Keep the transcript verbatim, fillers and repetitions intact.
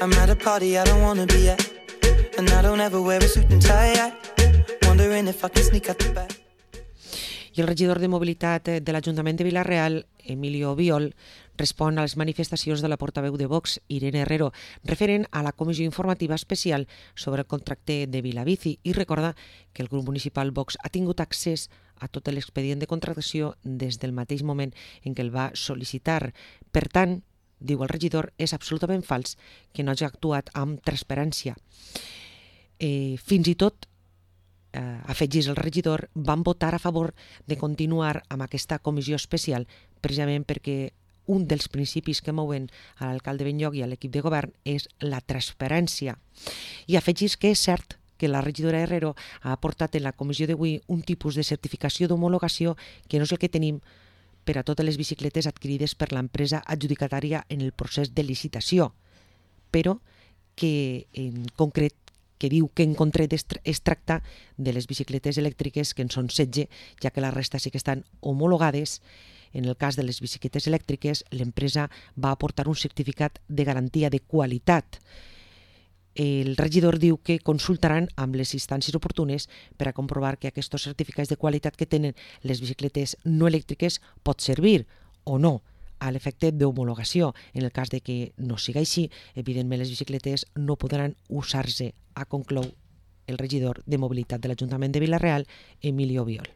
I'm at a party I don't wanna be at, and I don't ever wear a suit and tie. Wondering if I can sneak out the back. I el regidor de Mobilitat de l'Ajuntament de Vila-real, Emilio Biol, respon a les manifestacions de la portaveu de Vox, Irene Herrero, referent a la comissió informativa especial sobre el contracte de Vilabici i recorda que el grup municipal Vox ha tingut accés a tot l'expedient de contractació des del mateix moment en què el va sol·licitar. Per tant, diu el regidor, és absolutament fals que no hagi actuat amb transparència. Eh, fins i tot Uh, afegís el regidor, van votar a favor de continuar amb aquesta comissió especial precisament perquè un dels principis que mouen a l'alcalde Benlloc i a l'equip de govern és la transparència. I afegís que és cert que la regidora Herrero ha aportat en la comissió d'avui un tipus de certificació d'homologació que no és el que tenim per a totes les bicicletes adquirides per l'empresa adjudicatària en el procés de licitació, però que en concret que diu que en concret es tracta de les bicicletes elèctriques, que en són setze, ja que la resta sí que estan homologades. En el cas de les bicicletes elèctriques, l'empresa va aportar un certificat de garantia de qualitat. El regidor diu que consultaran amb les instàncies oportunes per a comprovar que aquests certificats de qualitat que tenen les bicicletes no elèctriques pot servir o no a l'efecte d'homologació. En el cas de que no siga així, evidentment les bicicletes no podran usar-se, ha conclou el regidor de Mobilitat de l'Ajuntament de Vila-real, Emilio Biol.